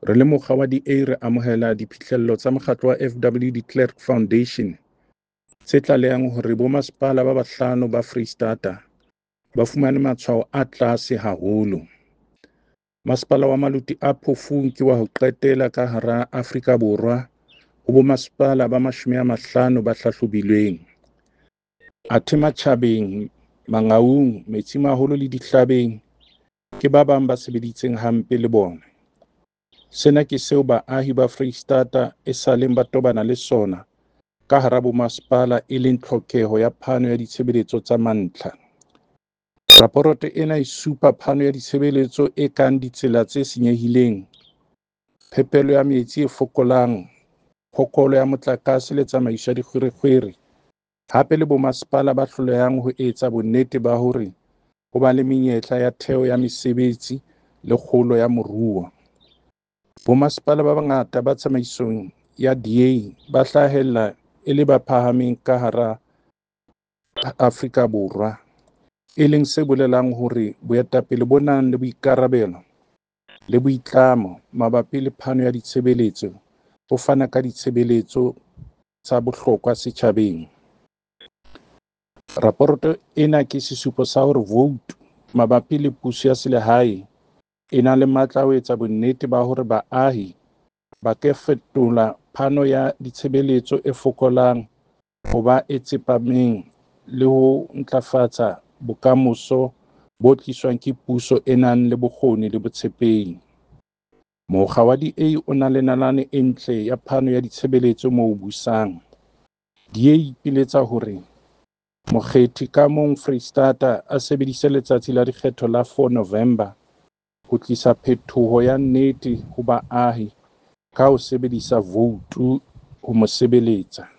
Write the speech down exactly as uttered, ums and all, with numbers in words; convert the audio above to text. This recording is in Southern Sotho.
Re le mokga wa D A re amohela diphihlello tsa mokgatlo wa F W de Klerk Foundation tse tlalehang hore bomasepala ba bahlano ba Freistata ba fumane matshwao a tlase haholo. Masepala wa Maluti-a-Phofung ke wa ho qetela ka hara Afrika Borwa ho bomasepala ba mashome a mahlano ba hlahlobilweng. Athe Matjhabeng, Mangaung, Metsimaholo le Dihlabeng ke ba bang ba sebeditseng hampe le bona. Sena ke seo baahi ba Freistata esaleng ba tobana le sona ka hara bomasepala e leng tlhokeho ya phano ya ditshebeletso tsa mantlha. Raporoto ena e supa phano ya ditshebeletso e kang ditsela tse senyehileng, phepelo ya metsi e fokolang, phokolo ya motlakase le tsamaiso ya dikgwerekgwere, hape le bomasepala ba hlolehang ho etsa bonnete ba hore ho ba le menyetla ya theo ya mesebetsi le kgolo ya moruo. Bomasepala ba bangata ba tsamaisong ya D A ba hlahella e le ba phahameng ka hara Afrika Borwa, e leng se bolelang hore boetapele bo nang le boikarabelo le boitlamo mabapi le phano ya ditshebeletso bo fana ka ditshebeletso tsa bohlokwa setjhabeng. Raporoto ena ke sesupo sa hore voutu mabapi le puso ya selehae e na le matla a ho etsa bonnete ba hore baahi ba ke fetola phano ya ditshebeletso e fokolang ho ba e tsepameng le ho ntlafatsa bokamoso bo tliswang ke puso e nang le bokgoni le botshepehi. Mokga wa D A o na le nalane e ntle ya phano ya ditshebeletso moo o busang. D A e ipiletsa hore mokgethi ka mong Freistata a sebedise letsatsi la dikgetho la four November ho tlisa phetoho ya nnete ho baahi ka ho sebedisa voutu ho mo sebeletsa.